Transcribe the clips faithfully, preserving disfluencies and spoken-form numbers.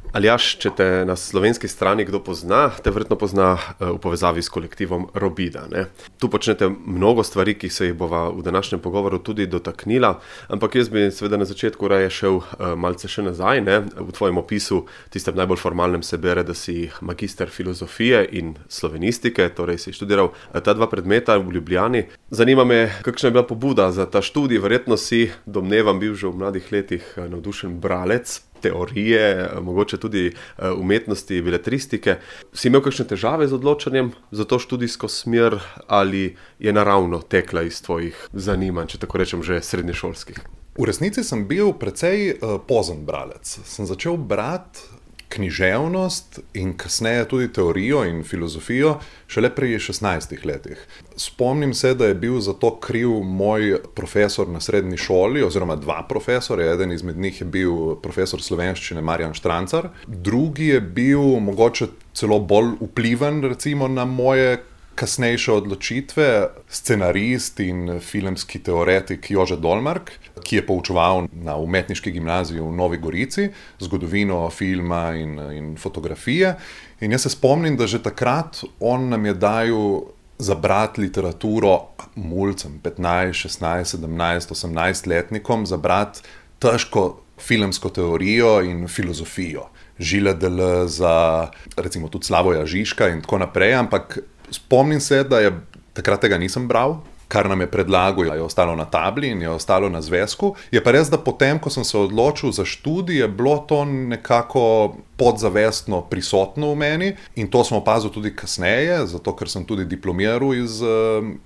Aljaž, če te na slovenski strani kdo pozna, te verjetno pozna v povezavi s kolektivom Robida, ne. Tu počnete mnogo stvari, ki se jih bova v današnjem pogovoru tudi dotaknila, ampak jaz bi seveda na začetku raje šel malce še nazaj, ne. V tvojem opisu, tistem najbolj formalnem, se bere, da si magister filozofije in slovenistike, torej si študiral ta dva predmeta v Ljubljani. Zanima me, kakšna je bila pobuda za ta študij, verjetno si, domnevam, bil že v mladih letih navdušen bralec teorije, mogoče tudi umetnosti, beletristike. Si imel kakšne težave z odločanjem za to študijsko smer ali je naravno tekla iz tvojih zanimanj, če tako rečem, že srednješolskih? V resnici sem bil precej uh, pozen bralec. Sem začel brati književnost in kasneje tudi teorijo in filozofijo šele pri šestnajstih letih. Spomnim se, da je bil za to kriv moj profesor na srednji šoli, oziroma dva profesorja, eden izmed njih je bil profesor slovenščine Marjan Štrancar, drugi je bil mogoče celo bolj vpliven, recimo, na moje kasnejše odločitve, scenarist in filmski teoretik Jože Dolmark, ki je poučeval na umetniški gimnaziji v Novi Gorici, zgodovino filma in, in fotografije. In jaz se spomnim, da že takrat on nam je dajal zabrati literaturo mulcem, petnajst, šestnajst, sedemnajst, osemnajst letnikom, zabrati težko filmsko teorijo in filozofijo. Žile Deleuza, recimo tudi Slavoja Žižka in tako naprej, ampak spomnim se, da je takrat tega nisem bral, kar nam je predlagal, je ostalo na tabli in je ostalo na zvezku. Je pa res, da potem, ko sem se odločil za študij, je bilo to nekako podzavestno prisotno v meni in to sem opazil tudi kasneje, zato ker sem tudi diplomiral iz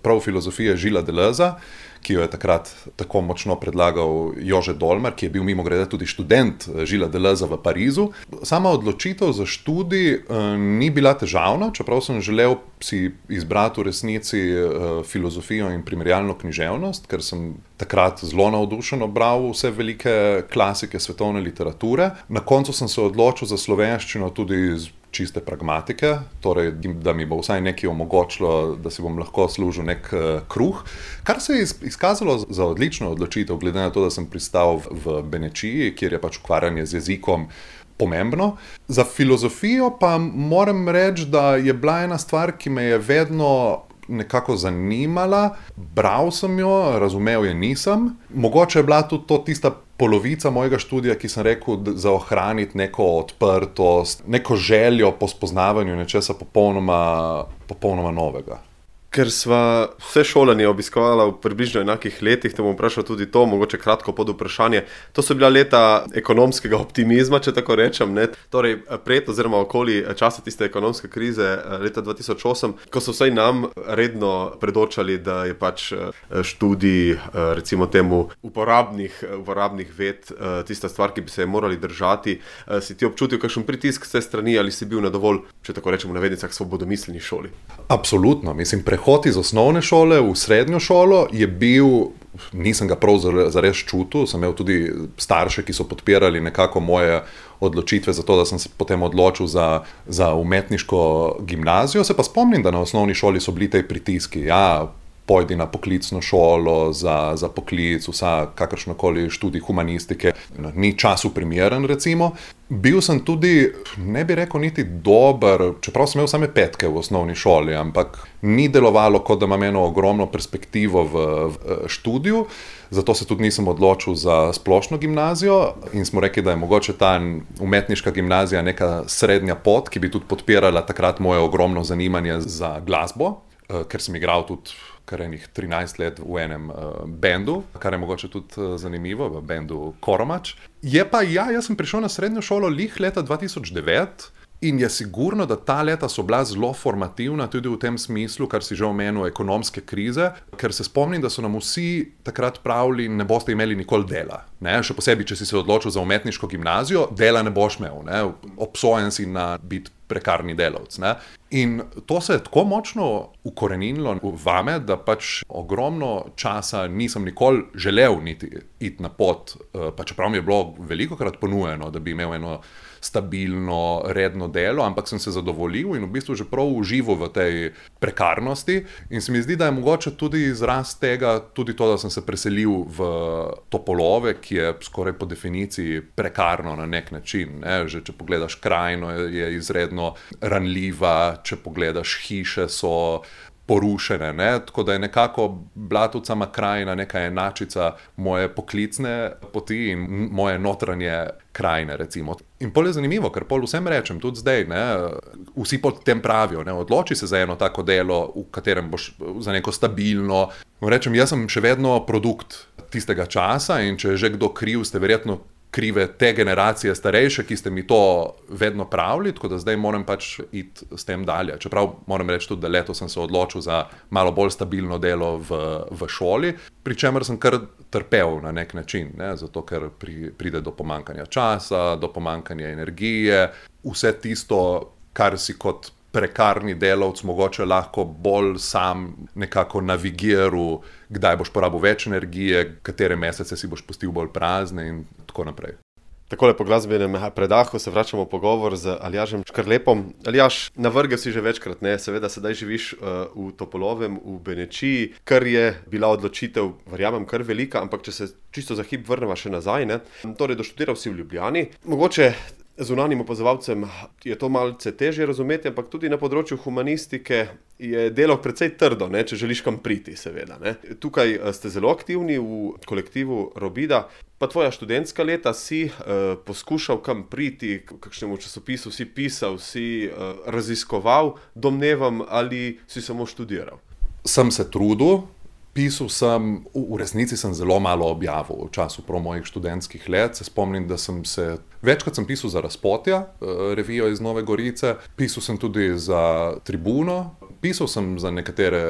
prav filozofije Žila Deleuza, ki jo je takrat tako močno predlagal Jože Dolmark, ki je bil mimogrede tudi študent Žila Deleuza v Parizu. Sama odločitev za študij eh, ni bila težavna, čeprav sem želel si izbrati v resnici eh, filozofijo in primerjalno književnost, ker sem takrat zelo navdušeno bral vse velike klasike svetovne literature. Na koncu sem se odločil za slovenščino tudi iz čiste pragmatike, torej da mi bo vsaj nekaj omogočilo, da si bom lahko služil nek uh, kruh, kar se je izkazalo za odlično odločitev, glede na to, da sem pristal v Benečiji, kjer je pač ukvarjanje z jezikom pomembno. Za filozofijo pa moram reči, da je bila ena stvar, ki me je vedno nekako zanimala, bral sem jo, razumel je nisem. Mogoče je bila tudi to tista polovica mojega študija, ki sem rekel, za ohraniti neko odprtost, neko željo po spoznavanju nečesa popolnoma, popolnoma novega. Ker sva vse šolanje obiskovala v približno enakih letih, te bom vprašal tudi to, mogoče kratko pod vprašanje. To so bila leta ekonomskega optimizma, če tako rečem, ne? Torej pred oziroma okoli časa tiste ekonomske krize leta dva tisoč osem, ko so vsaj nam redno predočali, da je pač študij, recimo temu, uporabnih, uporabnih ved, tista stvar, ki bi se je morali držati. Si ti občutil kakšen pritisk s te strani ali si bil na dovolj, če tako rečem, v navednicah svobodomiselni šoli? Absolutno, mislim, prehod iz osnovne šole v srednjo šolo je bil, nisem ga prav zares čutil, sem imel tudi starše, ki so podpirali nekako moje odločitve za to, da sem se potem odločil za, za umetniško gimnazijo. Se pa spomnim, da na osnovni šoli so bili tej pritiski, ja, pojdi na poklicno šolo za, za poklic, vsa kakršnokoli študij humanistike, ni času primeren, recimo. Bil sem tudi, ne bi rekel niti dober, čeprav sem imel same petke v osnovni šoli, ampak ni delovalo, kot da imam eno ogromno perspektivo v, v študiju, zato se tudi nisem odločil za splošno gimnazijo in smo rekli, da je mogoče ta umetniška gimnazija neka srednja pot, ki bi tudi podpirala takrat moje ogromno zanimanje za glasbo, ker sem igral tudi kar enih trinajst let v enem uh, bendu, kar je mogoče tudi uh, zanimivo, v bendu Koromač. Je pa, ja, jaz sem prišel na srednjo šolo lih leta dva tisoč devet in je sigurno, da ta leta so bila zelo formativna tudi v tem smislu, kar si že omenil, ekonomske krize, ker se spomnim, da so nam vsi takrat pravili, ne boste imeli nikoli dela. Ne? Še posebej, če si se odločil za umetniško gimnazijo, dela ne boš imel, ne? Obsojen si na biti prekarni delavc. Ne? In to se je tako močno ukoreninilo vame, da pač ogromno časa nisem nikoli želel niti iti na pot, pa čeprav mi je bilo velikokrat ponujeno, da bi imel eno stabilno, redno delo, ampak sem se zadovoljil in v bistvu že prav užival v tej prekarnosti. In se mi zdi, da je mogoče tudi izraz tega, tudi to, da sem se preselil v Topolove, ki je skoraj po definiciji prekarno na nek način. Ne? Že če pogledaš krajino, je izredno ranljiva, če pogledaš hiše, so porušene, ne? Tako da je nekako Blatovcama krajina neka enačica moje poklicne poti in moje notranje krajine, recimo. In pol je zanimivo, ker pol vsem rečem, tudi zdaj, ne? Vsi pod tem pravijo, ne? Odloči se za eno tako delo, v katerem boš za neko stabilno. Rečem, jaz sem še vedno produkt tistega časa in če je že kdo kriv, ste verjetno krive te generacije starejše, ki ste mi to vedno pravili, tako da zdaj moram pač iti s tem dalje. Čeprav moram reči tudi, da letos sem se odločil za malo bolj stabilno delo v, v šoli, pri čemer sem kar trpel na nek način, ne? Zato ker pri, pride do pomanjkanja časa, do pomanjkanja energije, vse tisto, kar si kot prekarni delavc mogoče lahko bolj sam nekako navigiral, kdaj boš porabil več energije, katere mesece si boš pustil bolj prazne in tako naprej. Takole po glasbenem predahu se vračamo v pogovor z Aljažem Škrlepom. Aljaž, navrgel si že večkrat, ne? Seveda sedaj živiš uh, v Topolovem, v Benečiji, kar je bila odločitev, verjamem, kar velika, ampak če se čisto za hip vrneva še nazaj, ne? Torej, doštudiral si v Ljubljani. Mogoče zunanjim opazovalcem je to malce težje razumeti, ampak tudi na področju humanistike je delo precej trdo, ne, če želiš kam priti, seveda. Ne. Tukaj ste zelo aktivni v kolektivu Robida, pa tvoja študentska leta si uh, poskušal kam priti, kakšnemu časopisu si pisal, si uh, raziskoval, domnevam, ali si samo študiral? Sem se trudil. Pisal sem, v resnici sem zelo malo objavil v času prav mojih študentskih let. Se spomnim, da sem se, večkrat sem pisal za Razpotja, revijo iz Nove Gorice, pisal sem tudi za Tribuno, pisal sem za nekatere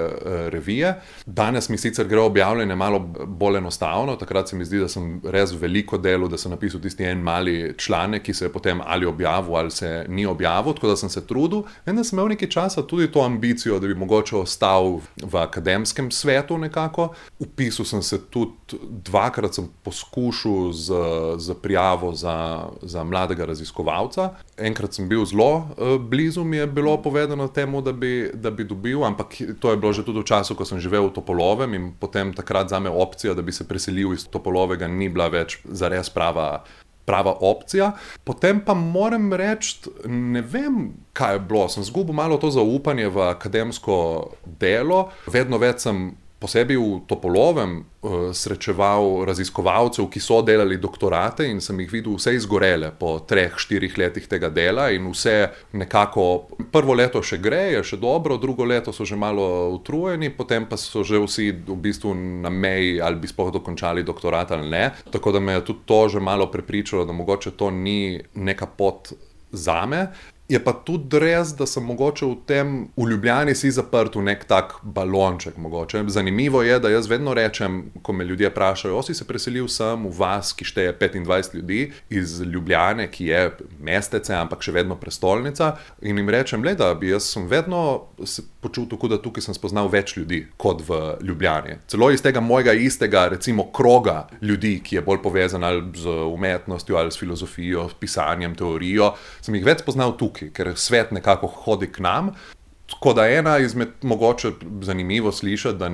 revije. Danes mi sicer gre objavljanje malo bolj enostavno, takrat se mi zdi, da sem res veliko delal, da sem napisal tisti en mali članek, ki se je potem ali objavil ali se ni objavil, tako da sem se trudil. Vendar sem imel nekaj časa tudi to ambicijo, da bi mogoče ostal v akademskem svetu nekako. Upisal sem se tudi, dvakrat sem poskušal z, z prijavo za, za mladega raziskovalca. Enkrat sem bil zelo blizu, mi je bilo povedano temu, da bi, da bi dobil, ampak to je bilo že tudi v času, ko sem živel v Topolovem in potem takrat zame opcija, da bi se preselil iz Topolovega, ni bila več zares prava, prava opcija. Potem pa moram reči, ne vem, kaj je bilo. Sem zgubil malo to zaupanje v akademsko delo. Vedno več sem posebej v Topolovem uh, srečeval raziskovalcev, ki so delali doktorate in sem jih videl vse izgorele po treh, štirih letih tega dela in vse nekako, prvo leto še gre, je še dobro, drugo leto so že malo utrujeni, potem pa so že vsi v bistvu na meji, ali bi sploh dokončali doktorat ali ne. Tako da me je tudi to že malo prepričalo, da mogoče to ni neka pot zame. Je pa tudi res, da sem mogoče v tem, v Ljubljani si zaprt v nek tak balonček mogoče. Zanimivo je, da jaz vedno rečem, ko me ljudje vprašajo, o si se preselil sem v vas, ki šteje petindvajset ljudi iz Ljubljane, ki je mestece, ampak še vedno prestolnica, in jim rečem, le da bi jaz sem vedno se počutil, da tukaj sem spoznal več ljudi kot v Ljubljani. Celo iz tega mojega istega, recimo, kroga ljudi, ki je bolj povezan ali z umetnostjo ali s filozofijo, pisanjem, teorijo, sem jih več spoznal tukaj, ker svet nekako hodi k nam. Tako da ena izmed, mogoče zanimivo slišati, da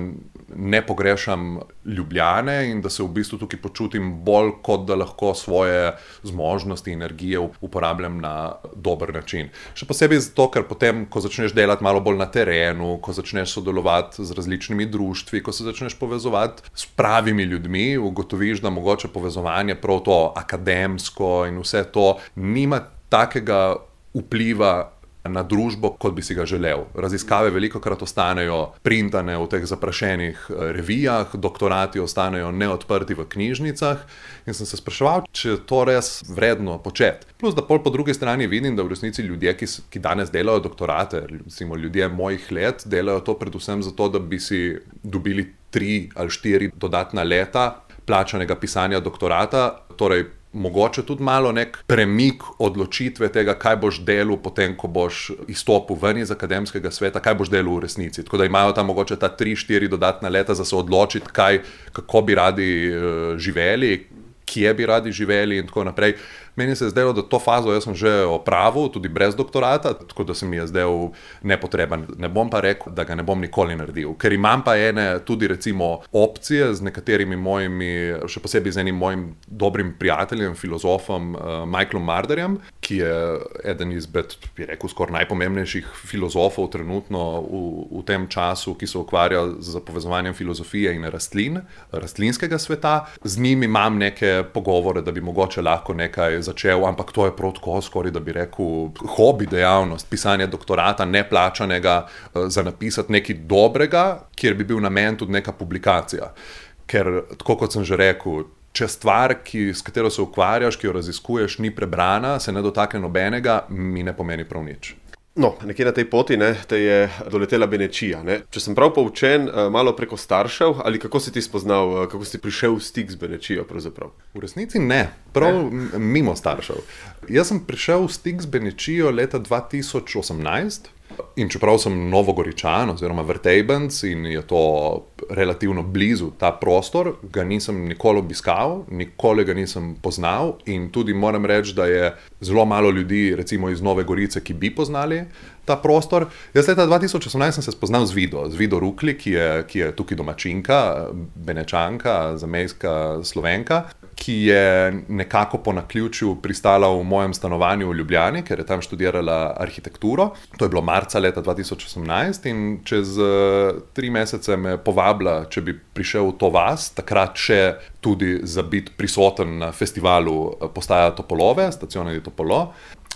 ne pogrešam Ljubljane in da se v bistvu tukaj počutim bolj, kot da lahko svoje zmožnosti, energije uporabljam na dober način. Še posebej zato, ker potem, ko začneš delati malo bolj na terenu, ko začneš sodelovati z različnimi društvi, ko se začneš povezovati s pravimi ljudmi, ugotoviš, da mogoče povezovanje prav to akademsko in vse to nima takega vpliva na družbo, kot bi si ga želel. Raziskave velikokrat ostanejo printane v teh zaprašenih revijah, doktorati ostanejo neodprti v knjižnicah in sem se spraševal, če je to res vredno početi. Plus, da pol po drugi strani vidim, da v resnici ljudje, ki, ki danes delajo doktorate, recimo ljudje mojih let, delajo to predvsem zato, da bi si dobili tri ali štiri dodatna leta plačanega pisanja doktorata, torej mogoče tudi malo nek premik odločitve tega, kaj boš delal potem, ko boš izstopil ven iz akademskega sveta, kaj boš delal v resnici. Tako da imajo tam mogoče ta tri, štiri dodatna leta za se odločiti, kaj, kako bi radi uh, živeli, kje bi radi živeli in tako naprej. Meni se je zdelo, da to fazo jaz sem že opravil, tudi brez doktorata, tako da se mi je zdel nepotreben. Ne bom pa rekel, da ga ne bom nikoli naredil, ker imam pa ene tudi recimo opcije z nekaterimi mojimi, še posebej z enim mojim dobrim prijateljem, filozofom uh, Michaelom Marderjem, ki je eden izmed, bi rekel, skoraj najpomembnejših filozofov trenutno v, v tem času, ki se ukvarja z povezovanjem filozofije in rastlin, rastlinskega sveta. Z njim imam neke pogovore, da bi mogoče lahko nekaj začel, ampak to je prav tako skoraj, da bi rekel, hobi dejavnost, pisanje doktorata neplačanega uh, za napisati nekaj dobrega, kjer bi bil namen tudi neka publikacija. Ker, tako kot sem že rekel, če stvar, ki, s katero se ukvarjaš, ki jo raziskuješ, ni prebrana, se ne dotakne nobenega, mi ne pomeni prav nič. No, nekje na tej poti ne, te je doletela Benečija. Ne. Če sem prav poučen, malo preko staršev, ali kako si ti spoznal, kako si prišel v stik z Benečijo pravzaprav? V resnici ne, prav ne. Mimo staršev. Jaz sem prišel v stik z Benečijo leta dva tisoč osemnajst. In čeprav sem Novogoričan oziroma Vrtejbenc in je to relativno blizu ta prostor, ga nisem nikoli obiskal, nikoli ga nisem poznal in tudi moram reči, da je zelo malo ljudi recimo iz Nove Gorice, ki bi poznali ta prostor. Jaz leta dva tisoč osemnajst sem se spoznal z Vido, z Vido Rukli, ki je, ki je tukaj domačinka, Benečanka, zamejska Slovenka, ki je nekako po naključju pristala v mojem stanovanju v Ljubljani, ker je tam študirala arhitekturo. To je bilo marca leta dva tisoč osemnajst in čez uh, tri mesece me povabila, če bi prišel v to vas, takrat še tudi za biti prisoten na festivalu Postaja Topolove, Stazione di Topolo.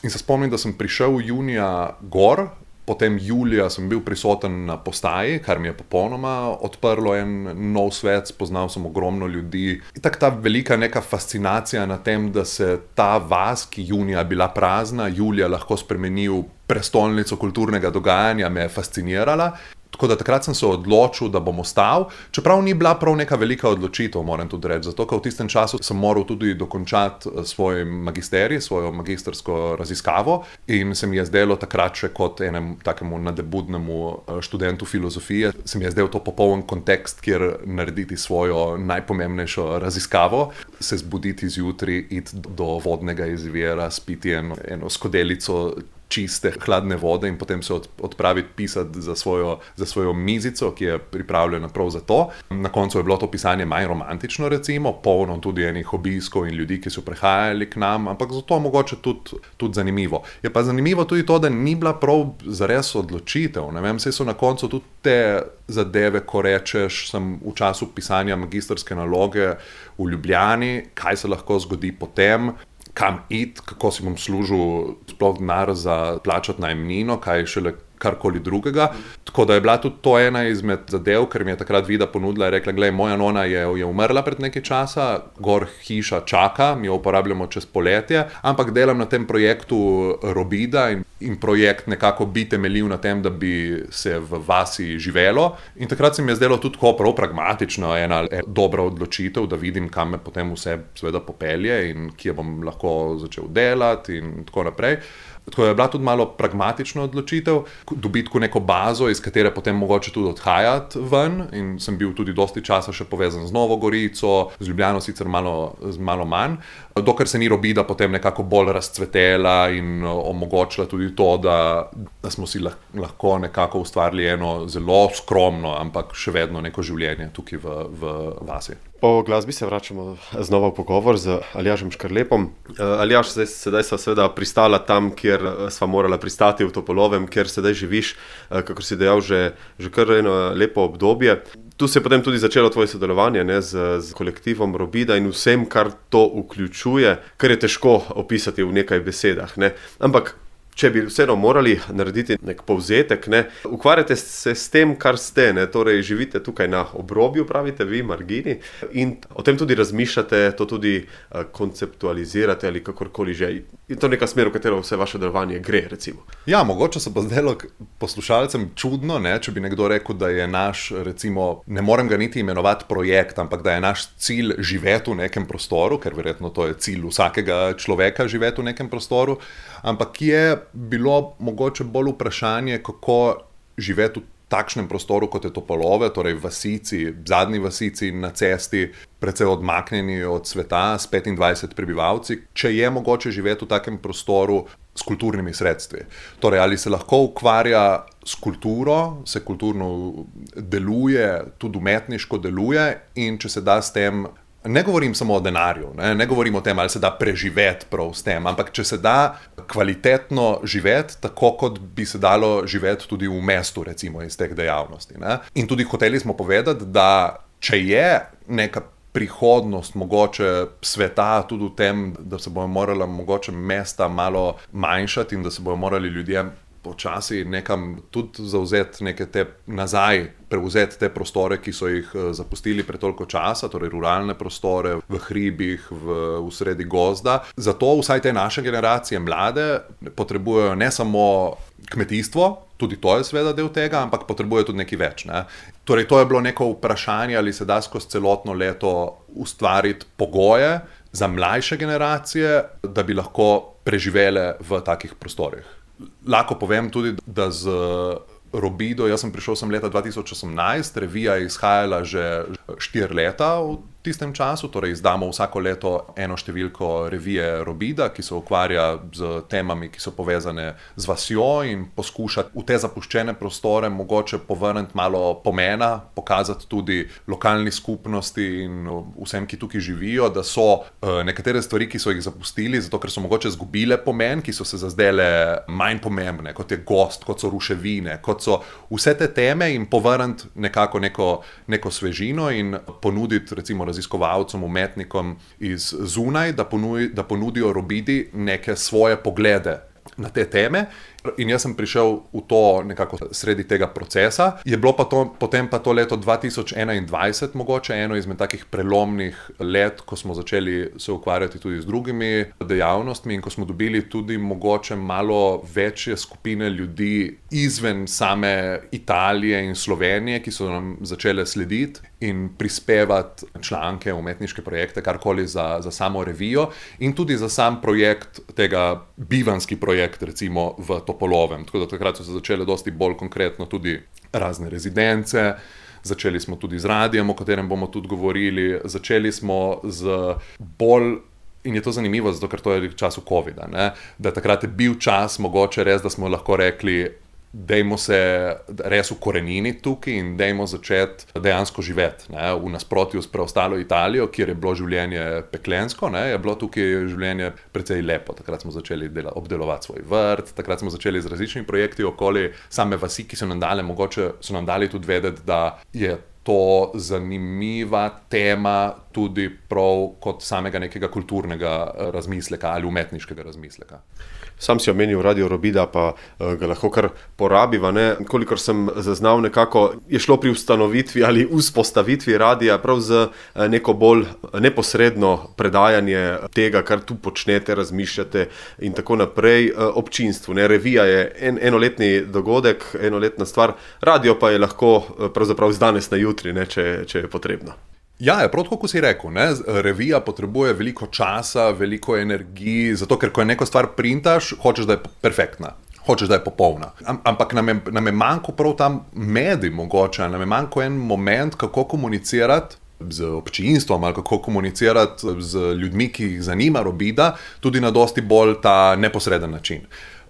In se spomnim, da sem prišel junija gor, potem julija sem bil prisoten na postaji, kar mi je popolnoma odprlo en nov svet, spoznal sem ogromno ljudi. In tako ta velika neka fascinacija na tem, da se ta vas, ki junija bila prazna, julija lahko spremeni v prestolnico kulturnega dogajanja, me je fascinirala. Tako da takrat sem se odločil, da bom ostal, čeprav ni bila prav neka velika odločitev, moram tudi reči, zato ker v tistem času sem moral tudi dokončati svoj magisterij, svojo magistrsko raziskavo in se mi je zdelo takrat še kot enemu takemu nadebudnemu študentu filozofije, se mi je zdel to popoln kontekst, kjer narediti svojo najpomembnejšo raziskavo, se zbuditi zjutraj, iti do vodnega izvira, spiti eno, eno skodelico čiste, hladne vode in potem se odpraviti pisati za svojo, za svojo mizico, ki je pripravljena prav za to. Na koncu je bilo to pisanje manj romantično, recimo, polno tudi enih obiskov in ljudi, ki so prihajali k nam, ampak zato mogoče tudi, tudi zanimivo. Je pa zanimivo tudi to, da ni bila prav zares odločitev. Ne vem, saj so na koncu tudi te zadeve, ko rečeš, sem v času pisanja magistrske naloge v Ljubljani, kaj se lahko zgodi potem, kam iti, kako si bom služil sploh denar za plačati najemnino, kaj šele karkoli drugega. Tako da je bila tudi to ena izmed zadev, ker mi je takrat Vida ponudila, je rekla, glej, moja nona je, je umrla pred nekaj časa, gor hiša čaka, mi jo uporabljamo čez poletje, ampak delam na tem projektu Robida in, in projekt nekako bi temeljil na tem, da bi se v vasi živelo. In takrat se mi je zdelo tudi tako prav pragmatično, ena, ena dobra odločitev, da vidim, kam me potem vse seveda popelje in kje bom lahko začel delati in tako naprej. Tako je bila tudi malo pragmatična odločitev, dobiti neko bazo, iz katere potem mogoče tudi odhajati ven in sem bil tudi dosti časa še povezan z Novo Gorico, z Ljubljano sicer malo, malo manj, dokler se ni Robida potem nekako bolj razcvetela in omogočila tudi to, da, da smo si lahko nekako ustvarili eno zelo skromno, ampak še vedno neko življenje tukaj v, v vasi. Po glasbi se vračamo znova v pogovor z Aljažem Škrlepom. Aljaž, zdaj, sedaj sva seveda pristala tam, kjer sva morala pristati v Topolovem, kjer sedaj živiš, kakor si dejal, že, že kar eno lepo obdobje. Tu se je potem tudi začelo tvoje sodelovanje ne, z, z kolektivom Robida in vsem, kar to vključuje, kar je težko opisati v nekaj besedah. Ne. Ampak če bi vseeno morali narediti nek povzetek, ne, ukvarjate se s tem, kar ste, ne, torej živite tukaj na obrobju, pravite vi, margini, in o tem tudi razmišljate, to tudi uh, konceptualizirate ali kakorkoli že. Je to neka smer, v katero vse vaše delovanje gre, recimo? Ja, mogoče se bo zdelo poslušalcem čudno, ne, če bi nekdo rekel, da je naš, recimo, ne morem ga niti imenovati projekt, ampak da je naš cilj živeti v nekem prostoru, ker verjetno to je cilj vsakega človeka živeti v nekem prostoru, ampak je bilo mogoče bolj vprašanje, kako živeti v takšnem prostoru, kot je Topolove, torej vasici, zadnji vasici na cesti, precej odmaknjeni od sveta, s petindvajsetimi prebivalci, če je mogoče živeti v takem prostoru s kulturnimi sredstvi. Torej, ali se lahko ukvarja s kulturo, se kulturno deluje, tudi umetniško deluje in če se da s tem. Ne govorim samo o denarju, ne, ne govorim o tem, ali se da preživeti prav s tem, ampak če se da kvalitetno živeti, tako kot bi se dalo živeti tudi v mestu, recimo iz teh dejavnosti. Ne. In tudi hoteli smo povedati, da če je neka prihodnost mogoče sveta tudi v tem, da se bojo morala mogoče mesta malo manjšati in da se bojo morali ljudje počasi nekam tudi zauzeti neke te nazaj, prevzeti te prostore, ki so jih zapustili pre toliko časa, torej ruralne prostore v hribih, v, v sredi gozda. Zato vsaj te naše generacije mlade potrebujejo ne samo kmetijstvo, tudi to je seveda del tega, ampak potrebujejo tudi nekaj več. Ne? Torej to je bilo neko vprašanje, ali se da skozi celotno leto ustvariti pogoje za mlajše generacije, da bi lahko preživele v takih prostorih. Lahko povem tudi, da z Robido, jaz sem prišel sem leta dva tisoč osemnajst, revija je izhajala že štiri leta v tistem času, torej izdamo vsako leto eno številko revije Robida, ki se ukvarja z temami, ki so povezane z vasjo in poskuša v te zapuščene prostore mogoče povrniti malo pomena, pokazati tudi lokalni skupnosti in vsem, ki tukaj živijo, da so nekatere stvari, ki so jih zapustili, zato ker so mogoče zgubile pomen, ki so se zazdele manj pomembne, kot je gost, kot so ruševine, kot so vse te teme in povrniti nekako neko, neko svežino in ponuditi recimo raziskovalcem, umetnikom iz zunaj, da, ponuj, da ponudijo Robidi neke svoje poglede na te teme. In jaz sem prišel v to nekako sredi tega procesa. Je bilo pa to, potem pa to leto dva tisoč enaindvajset mogoče eno izmed takih prelomnih let, ko smo začeli se ukvarjati tudi z drugimi dejavnostmi in ko smo dobili tudi mogoče malo večje skupine ljudi izven same Italije in Slovenije, ki so nam začele slediti in prispevati članke, umetniške projekte, karkoli za, za samo revijo in tudi za sam projekt, tega bivanski projekt recimo v Topolovem. Tako da takrat so se začele dosti bolj konkretno tudi razne rezidence, začeli smo tudi z radijem, o katerem bomo tudi govorili, začeli smo z bolj, in je to zanimivo, zato ker to je v času covida, ne? Da takrat je bil čas mogoče res, da smo lahko rekli, dajmo se res ukoreniti tukaj in dajmo začeti dejansko živeti. Ne? V nasprotju s preostalo Italijo, kjer je bilo življenje peklensko, ne? Je bilo tukaj življenje precej lepo. Takrat smo začeli dela, obdelovati svoj vrt, takrat smo začeli z različnimi projekti okoli same vasi, ki so nam dali, mogoče so nam dali tudi vedeti, da je to zanimiva tema tudi prav kot samega nekega kulturnega razmisleka ali umetniškega razmisleka. Sam si omenil Radio Robida, pa uh, ga lahko kar porabiva. Ne? Kolikor sem zaznal, nekako je šlo pri ustanovitvi ali vzpostavitvi radija prav z uh, neko bolj neposredno predajanje tega, kar tu počnete, razmišljate in tako naprej uh, občinstvu. Ne? Revija je en, enoletni dogodek, enoletna stvar, radio pa je lahko uh, pravzaprav z danes na jutri, ne? Če, če je potrebno. Ja, je prav tako, kot si rekel, ne? Revija potrebuje veliko časa, veliko energiji, zato ker ko je neko stvar printaš, hočeš, da je perfektna, hočeš, da je popolna. Am, ampak nam je, nam je manjko prav tam medij mogoče, nam je manjko en moment, kako komunicirati z občinstvom ali kako komunicirati z ljudmi, ki jih zanima Robida, tudi na dosti bolj ta neposreden način.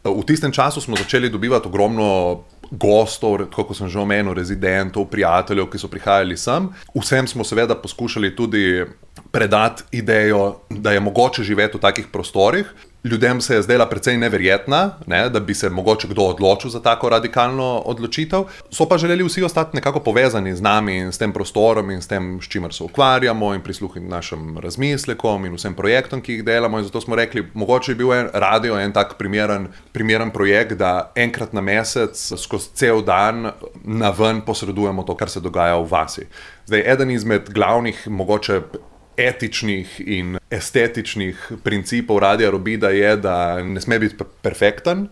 V tistem času smo začeli dobivati ogromno gostov, kot sem že omenil, rezidentov, prijateljev, ki so prihajali sem. Vsem smo seveda poskušali tudi predati idejo, da je mogoče živeti v takih prostorih. Ljudem se je zdela precej neverjetna, ne, da bi se mogoče kdo odločil za tako radikalno odločitev. So pa želeli vsi ostati nekako povezani z nami in s tem prostorom in s tem, s čimer se ukvarjamo in prisluhniti našim razmislekom in vsem projektom, ki jih delamo. In zato smo rekli, mogoče je bil en radio en tak primeren, primeren projekt, da enkrat na mesec skozi cel dan na ven posredujemo to, kar se dogaja v vasi. Zdaj, eden izmed glavnih mogoče etičnih in estetičnih principov Radia Robida je, da ne sme biti perfekten,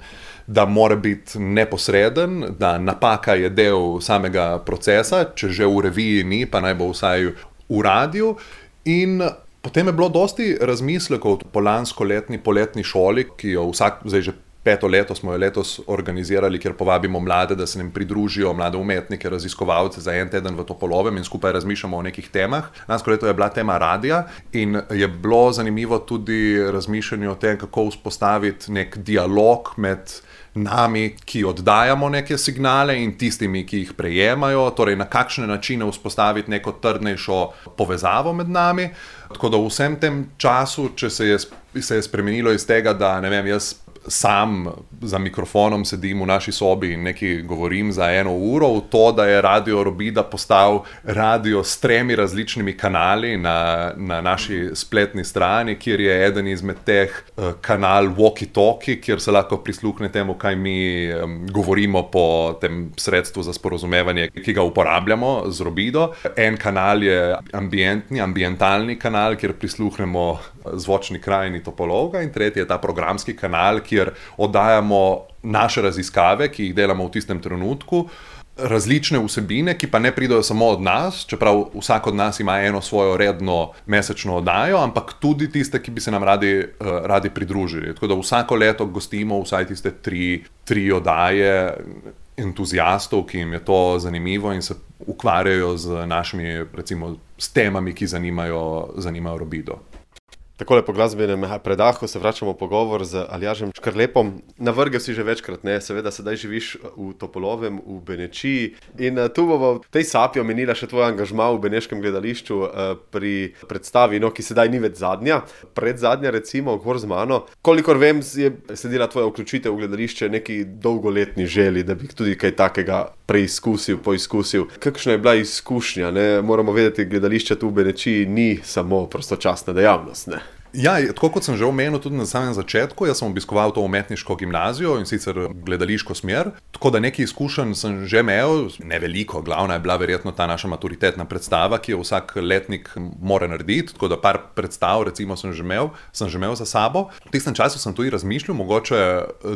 da mora biti neposreden, da napaka je del samega procesa, če že v reviji ni, pa naj bo vsaj v radiju. In potem je bilo dosti razmislekov po lanskoletni poletni šoli, ki jo vsak, zdaj že peto leto smo jo letos organizirali, kjer povabimo mlade, da se nam pridružijo, mlade umetnike, raziskovalce za en teden v Topolovem in skupaj razmišljamo o nekih temah. Lansko leto je bila tema radija in je bilo zanimivo tudi razmišljanje o tem, kako vzpostaviti nek dialog med nami, ki oddajamo neke signale in tistimi, ki jih prejemajo, torej na kakšne načine vzpostaviti neko trdnejšo povezavo med nami. Tako da v vsem tem času, če se je, se je spremenilo iz tega, da ne vem, jaz sam za mikrofonom sedim v naši sobi in nekaj govorim za eno uro, v to, da je Radio Robida postal radio s tremi različnimi kanali na, na naši spletni strani, kjer je eden izmed teh uh, kanal Walkie Talkie, kjer se lahko prisluhne temu, kaj mi um, govorimo po tem sredstvu za sporozumevanje, ki ga uporabljamo z Robido. En kanal je ambientni, ambientalni kanal, kjer prisluhnemo zvočni krajini Topolovga, in tretji je ta programski kanal, kjer oddajamo naše raziskave, ki jih delamo v tistem trenutku, različne vsebine, ki pa ne pridejo samo od nas, čeprav vsak od nas ima eno svojo redno mesečno oddajo, ampak tudi tiste, ki bi se nam radi, uh, radi pridružili. Tako da vsako leto gostimo vsaj tiste tri, tri oddaje entuzijastov, ki jim je to zanimivo in se ukvarjajo z našimi, recimo, s temami, ki zanimajo, zanimajo Robido. Takole po glasbenem predahu se vračamo v pogovor z Aljažem Škrlepom. Navrgel si že večkrat, ne, seveda sedaj živiš v Topolovem, v Benečiji, in tu bomo v tej sapi omenila še tvoj angažma v Beneškem gledališču pri predstavi, no, ki sedaj ni več zadnja, predzadnja recimo, gor z mano. Kolikor vem, je sledila tvoja vključitev v gledališče neki dolgoletni želji, da bi tudi kaj takega preizkusil, poizkusil. Kakšna je bila izkušnja, ne? Moramo vedeti, gledališče tu v Benečiji ni samo prostočasna dejavnost, ne? Ja, tako kot sem že omenil tudi na samem začetku, jaz sem obiskoval to umetniško gimnazijo in sicer gledališko smer, tako da nekaj izkušenj sem že imel, ne veliko, glavna je bila verjetno ta naša maturitetna predstava, ki jo vsak letnik mora narediti, tako da par predstav recimo sem že imel, sem že imel za sabo. V tistem času sem tudi razmišljal, mogoče,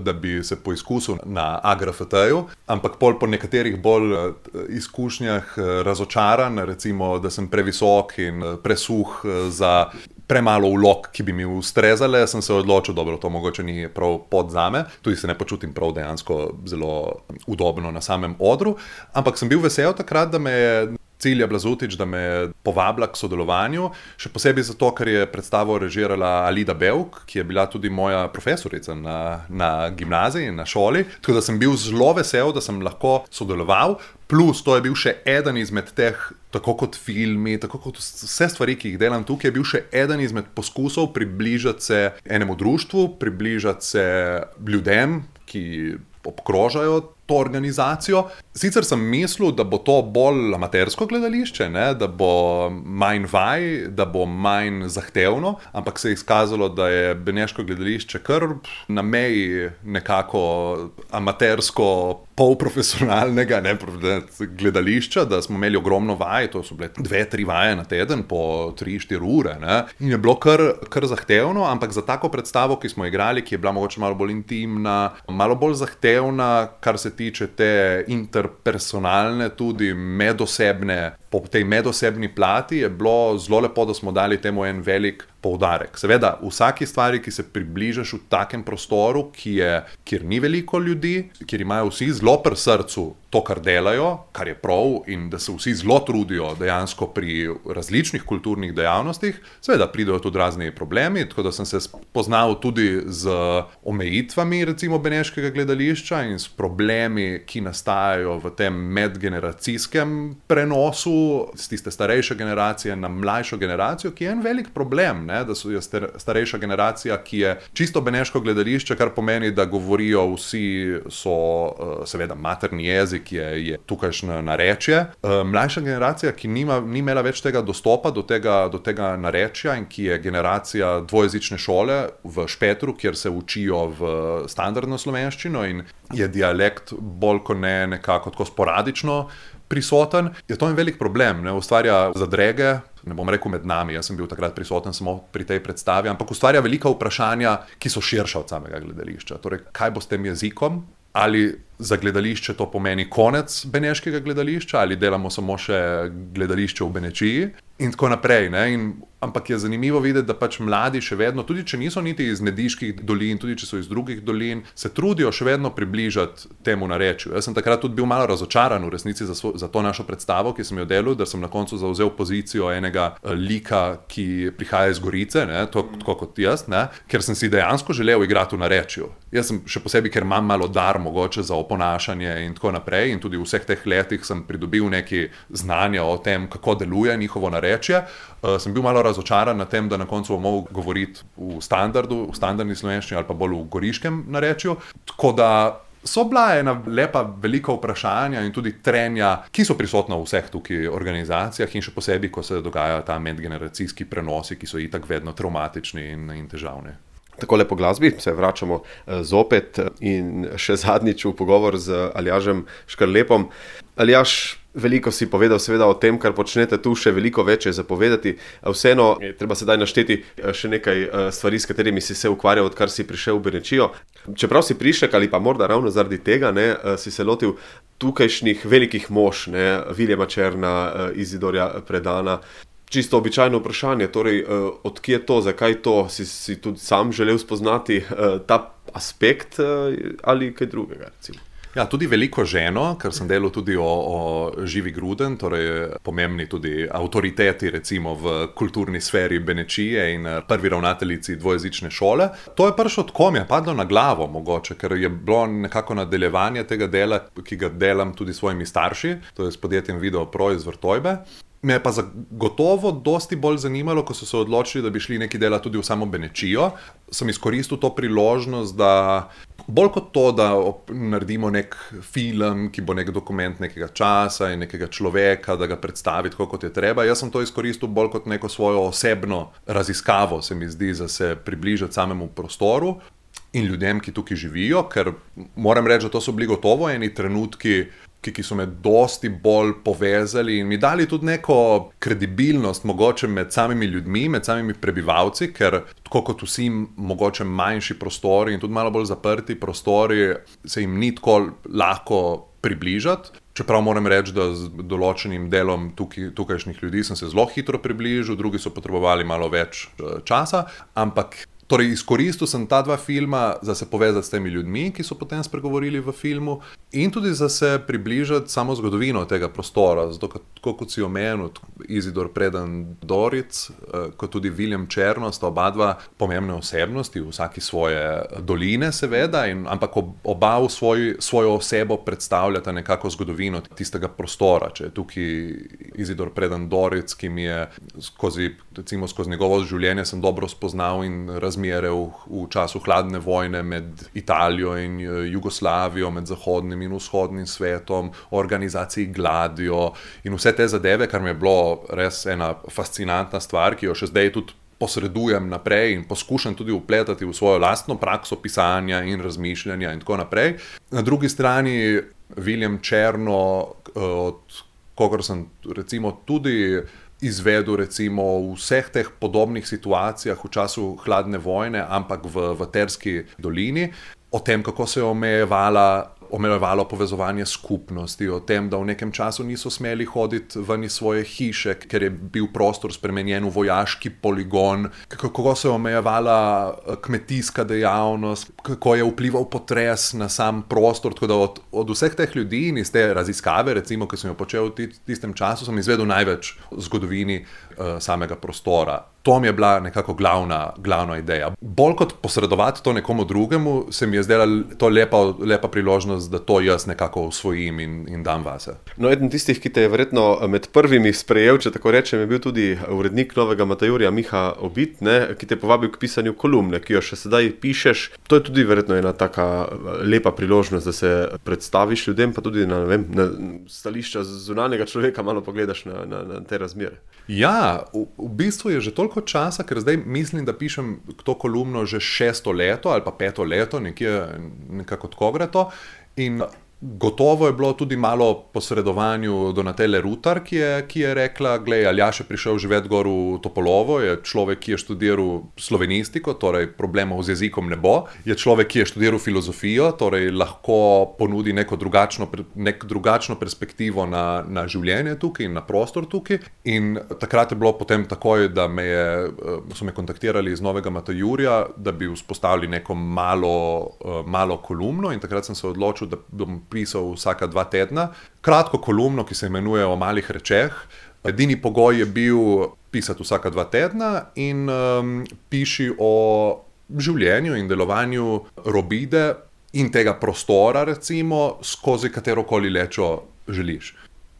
da bi se poizkusil na A G R F T-ju, ampak pol po nekaterih bolj izkušnjah razočaran, recimo, da sem previsok in presuh za premalo vlog, ki bi mi ustrezale, sem se odločil, dobro, to mogoče ni prav pot zame, tudi se ne počutim prav dejansko zelo udobno na samem odru, ampak sem bil vesel takrat, da me je Cilja Blazutič, da me je povabila k sodelovanju, še posebej zato, ker je predstavo režirala Alida Bevk, ki je bila tudi moja profesorica na, na gimnaziji, na šoli, tako da sem bil zelo vesel, da sem lahko sodeloval, plus to je bil še eden izmed teh, tako kot filmi, tako kot vse stvari, ki jih delam tukaj, je bil še eden izmed poskusov približati se enemu društvu, približati se ljudem, ki obkrožajo to organizacijo. Sicer sem mislil, da bo to bolj amatersko gledališče, ne? Da bo manj vaj, da bo manj zahtevno, ampak se je izkazalo, da je Beneško gledališče kar na meji nekako amatersko polprofesionalnega, ne, gledališča, da smo imeli ogromno vaj, to so bile dve, tri vaje na teden po tri, štiri ure, ne, in je bilo kar, kar zahtevno, ampak za tako predstavo, ki smo igrali, ki je bila mogoče malo bolj intimna, malo bolj zahtevna, kar se tiče te interpersonalne, tudi medosebne, po tej medosebni plati, je bilo zelo lepo, da smo dali temu en velik poudarek. Seveda, vsaki stvari, ki se približaš v takem prostoru, ki je, kjer ni veliko ljudi, kjer imajo vsi zelo pri srcu to, kar delajo, kar je prav, in da se vsi zelo trudijo dejansko pri različnih kulturnih dejavnostih, seveda pridejo tudi razni problemi, tako da sem se spoznal tudi z omejitvami recimo Beneškega gledališča in s problemi, ki nastajajo v tem medgeneracijskem prenosu z tiste starejše generacije na mlajšo generacijo, ki je en velik problem, ne? Da so je starejša generacija, ki je čisto beneško gledališče, kar pomeni, da govorijo vsi, so seveda materni jezik, je, je tukajšnje narečje. Mlajša generacija, ki nima, ni imela več tega dostopa do tega, do tega narečja in ki je generacija dvojezične šole v Špetru, kjer se učijo v standardno slovenščino in je dialekt bolj kot ne nekako tako sporadično prisoten, je to en velik problem, ne, ustvarja zadrege, ne bom rekel med nami, jaz sem bil takrat prisoten samo pri tej predstavi, ampak ustvarja velika vprašanja, ki so širša od samega gledališča. Torej, kaj bo s tem jezikom? Ali za gledališče to pomeni konec beneškega gledališča ali delamo samo še gledališče v Benečiji in tako naprej. Ne? In, ampak je zanimivo videti, da pač mladi še vedno, tudi če niso niti iz Nediških dolin, tudi če so iz drugih dolin, se trudijo še vedno približati temu narečju. Jaz sem takrat tudi bil malo razočaran v resnici za, svo, za to našo predstavo, ki sem jo delal, da sem na koncu zavzel pozicijo enega lika, ki prihaja iz Gorice, ne? To, tako kot jaz, ne? Ker sem si dejansko želel igrati v narečju. Jaz sem še posebej, ker imam malo dar mogoče za oponašanje in tako naprej in tudi v vseh teh letih sem pridobil neki znanja o tem, kako deluje njihovo narečje. Uh, sem bil malo razočaran na tem, da na koncu bom mogel govoriti v standardu, v standardni slovenščini ali pa bolj v goriškem narečju. Tako da so bila ena lepa velika vprašanja in tudi trenja, ki so prisotna v vseh tukaj organizacijah in še posebej, ko se dogajajo ta medgeneracijski prenosi, ki so itak vedno traumatični in, in težavni. Takole po glasbi se vračamo zopet in še zadnjič v pogovor z Aljažem Škrlepom. Aljaž, veliko si povedal seveda o tem, kar počnete tu, še veliko več je zapovedati. Vseeno je treba sedaj našteti še nekaj stvari, s katerimi si se ukvarjal, odkar si prišel v Benečijo. Čeprav si prišlek ali pa morda ravno zaradi tega, ne, si se lotil tukajšnjih velikih mož, ne, Viljama Černa, Izidorja Predana. Čisto običajno vprašanje, torej od kje je to, zakaj to, si, si tudi sam želel spoznati ta aspekt ali kaj drugega, recimo? Ja, tudi veliko ženo, ker sem delal tudi o, o Živi Gruden, torej pomembni tudi avtoriteti recimo v kulturni sferi Benečije in prvi ravnateljici dvojezične šole. To je prišlo tako, mi je padlo na glavo mogoče, ker je bilo nekako nadaljevanje tega dela, ki ga delam tudi s svojimi starši, to je s podjetjem Videopro iz Vrtojbe. Me je pa zagotovo dosti bolj zanimalo, ko so se odločili, da bi šli neki dela tudi v samo Benečijo. Sem izkoristil to priložnost, da bolj kot to, da naredimo nek film, ki bo nek dokument nekega časa in nekega človeka, da ga predstavi tako, kot je treba. Jaz sem to izkoristil bolj kot neko svojo osebno raziskavo, se mi zdi, da se približati samemu prostoru in ljudem, ki tukaj živijo, ker moram reči, da to so bili gotovo eni trenutki, ki, ki so me dosti bolj povezali in mi dali tudi neko kredibilnost mogoče med samimi ljudmi, med samimi prebivalci, ker tako kot vsi mogoče manjši prostori in tudi malo bolj zaprti prostori, se jim ni tako lahko približati. Čeprav moram reči, da z določenim delom tukaj, tukajšnjih ljudi sem se zelo hitro približil, drugi so potrebovali malo več časa, ampak torej izkoristil sem ta dva filma za se povezati s temi ljudmi, ki so potem spregovorili v filmu in tudi za se približati samo zgodovino tega prostora, zato kot, kot si omenil, Izidor Predan Doric, kot tudi Viljem Černo sta oba dva pomembne osebnosti, vsaki svoje doline seveda, in, ampak oba v svoj, svojo osebo predstavljata nekako zgodovino tistega prostora. Če je tukaj Izidor Predan Doric, ki mi je skozi, recimo skozi njegovo življenje sem dobro spoznal in razmere v, v času hladne vojne med Italijo in Jugoslavijo, med zahodnim in vzhodnim svetom, o organizaciji Gladio in vse te zadeve, kar mi je bilo res ena fascinantna stvar, ki jo še zdaj tudi posredujem naprej in poskušam tudi vpletati v svojo lastno prakso pisanja in razmišljanja in tako naprej. Na drugi strani Viljem Černo, od kogar sem recimo tudi izvedel recimo v vseh teh podobnih situacijah v času hladne vojne, ampak v, v Terski dolini, o tem, kako se je omejevala omejevalo povezovanje skupnosti, o tem, da v nekem času niso smeli hoditi ven iz svoje hiše, ker je bil prostor spremenjen v vojaški poligon, kako se je omejevala kmetijska dejavnost, kako je vplival potres na sam prostor, tako da od, od vseh teh ljudi in iz te raziskave, recimo, ki sem jo počel v tistem času, sem izvedel največ v zgodovini uh, samega prostora. To mi je bila nekako glavna, glavna ideja. Bolj kot posredovati to nekomu drugemu, se mi je zdela to lepa, lepa priložnost, da to jaz nekako usvojim in, in dam vase. No, eden tistih, ki te je verjetno med prvimi sprejel, če tako rečem, je bil tudi urednik Novega Matajurja Miha Obit, ne, ki te je povabil k pisanju kolumne, ki jo še sedaj pišeš. To je tudi verjetno ena taka lepa priložnost, da se predstaviš ljudem, pa tudi na, ne vem, na stališča zunanjega človeka malo pogledaš na, na, na te razmere. Ja, v, v bistvu je že toliko časa, ker zdaj mislim, da pišem to kolumno že šesto leto ali pa peto leto, nekje, nekako tako gre to. In Gotovo je bilo tudi malo posredovanju Donatele Rutar, ki je, ki je rekla, glej, Aljaž je prišel živeti gor v Topolovo, je človek, ki je študiral slovenistiko, torej problemov z jezikom ne bo, je človek, ki je študiral filozofijo, torej lahko ponudi neko drugačno, nek drugačno perspektivo na, na življenje tukaj in na prostor tukaj. In takrat je bilo potem takoj, da me je, so me kontaktirali iz Novega Matajurja, da bi vzpostavili neko malo, malo kolumno, in takrat sem se odločil, da bom pisal vsaka dva tedna. Kratko kolumno, ki se imenuje O malih rečeh. Edini pogoj je bil pisati vsaka dva tedna in um, piši o življenju in delovanju Robide in tega prostora, recimo, skozi katerokoli lečo želiš.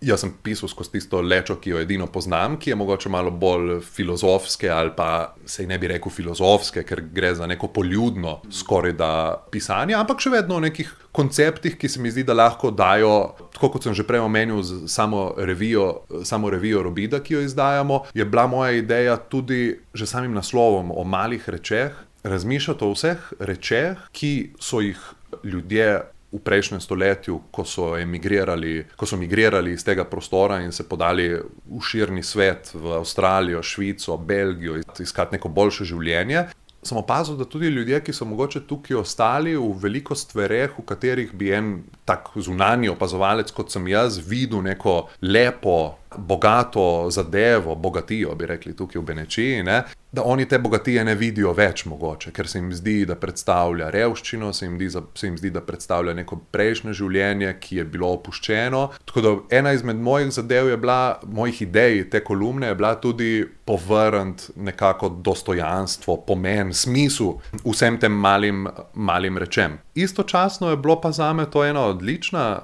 Jaz sem pisal skozi tisto lečo, ki jo edino poznam, ki je mogoče malo bolj filozofske ali pa sej ne bi rekel filozofske, ker gre za neko poljudno skoraj da pisanje, ampak še vedno o nekih konceptih, ki se mi zdi, da lahko dajo, tako kot sem že prej omenil, samo revijo, samo revijo Robida, ki jo izdajamo, je bila moja ideja tudi že samim naslovom O malih rečeh, razmišljati o vseh rečeh, ki so jih ljudje v prejšnjem stoletju, ko so emigrirali, ko so migrirali iz tega prostora in se podali v širni svet, v Avstralijo, Švico, Belgijo, iskati neko boljše življenje, sem opazil, da tudi ljudje, ki so mogoče tukaj ostali v veliko stvareh, v katerih bi en tak zunanji opazovalec, kot sem jaz, videl neko lepo, bogato zadevo, bogatijo, bi rekli tukaj v Benečiji, ne? Da oni te bogatije ne vidijo več mogoče, ker se jim zdi, da predstavlja revščino, se jim, di, se jim zdi, da predstavlja neko prejšnje življenje, ki je bilo opuščeno. Tako da ena izmed mojih zadev je bila, mojih idej te kolumne je bila tudi povrniti nekako dostojanstvo, pomen, smisel vsem tem malim, malim rečem. Istočasno je bilo pa zame to ena odlična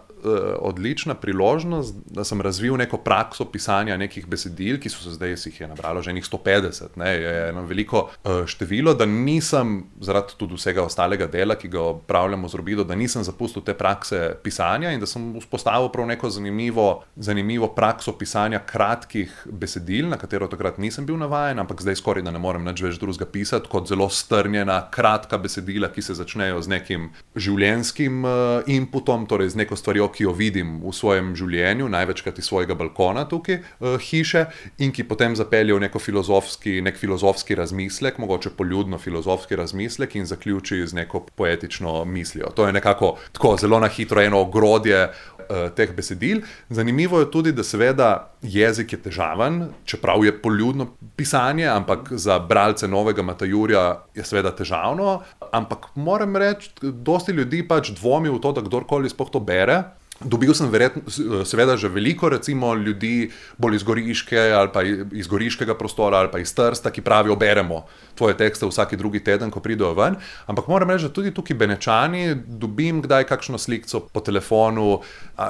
odlična priložnost, da sem razvil neko prakso pisanja nekih besedil, ki so se zdaj, si jih je nabralo že enih sto petdeset, ne, je eno veliko število, da nisem, zaradi tudi vsega ostalega dela, ki ga opravljamo z Robido, da nisem zapustil te prakse pisanja in da sem vzpostavil prav neko zanimivo, zanimivo prakso pisanja kratkih besedil, na katero takrat nisem bil navajen, ampak zdaj skoraj da ne morem nič več drugega pisati, kot zelo strnjena, kratka besedila, ki se začnejo z nekim življenjskim inputom, torej z neko stvarjo, ki jo vidim v svojem življenju, največkrat iz svojega balkona tukaj uh, hiše, in ki potem zapelje v neko filozofski, nek filozofski razmislek, mogoče poljudno filozofski razmislek in zaključi z neko poetično mislijo. To je nekako tako zelo na hitro eno ogrodje uh, teh besedil. Zanimivo je tudi, da seveda jezik je težaven, čeprav je poljudno pisanje, ampak za bralce Novega Matajurja je seveda težavno, ampak moram reči, dosti ljudi pač dvomi v to, da kdorkoli sploh to bere. Dobil sem verjetno, seveda že veliko recimo ljudi bolj iz Goriške ali pa iz Goriškega prostora ali pa iz Trsta, ki pravijo, beremo tvoje tekste vsaki drugi teden, ko pridejo ven, ampak moram reči, da tudi tukaj Benečani dobim kdaj kakšno slikco po telefonu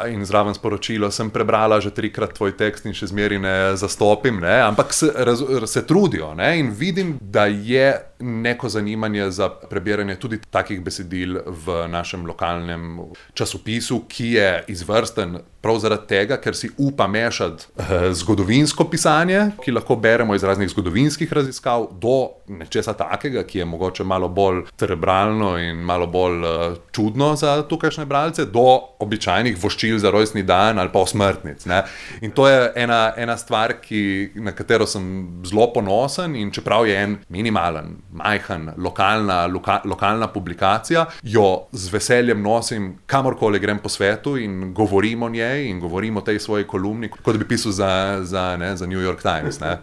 in zraven sporočilo, sem prebrala že trikrat tvoj tekst in še zmeri ne zastopim, ne? Ampak se, raz, se trudijo, ne? In vidim, da je neko zanimanje za prebiranje tudi takih besedil v našem lokalnem časopisu, ki je izvrsten prav zaradi tega, ker si upa mešati eh, zgodovinsko pisanje, ki lahko beremo iz raznih zgodovinskih raziskav, do nečesa takega, ki je mogoče malo bolj cerebralno in malo bolj eh, čudno za tukajšnje bralce, do običajnih voščil za rojstni dan ali pa osmrtnic, ne. In to je ena, ena stvar, ki, na katero sem zelo ponosen, in čeprav je en minimalen, majhen, lokalna, loka, lokalna publikacija, jo z veseljem nosim kamorkoli grem po svetu in govorim o njej in govorim o tej svoji kolumni, kot bi pisal za, za, ne, za New York Times. Ne.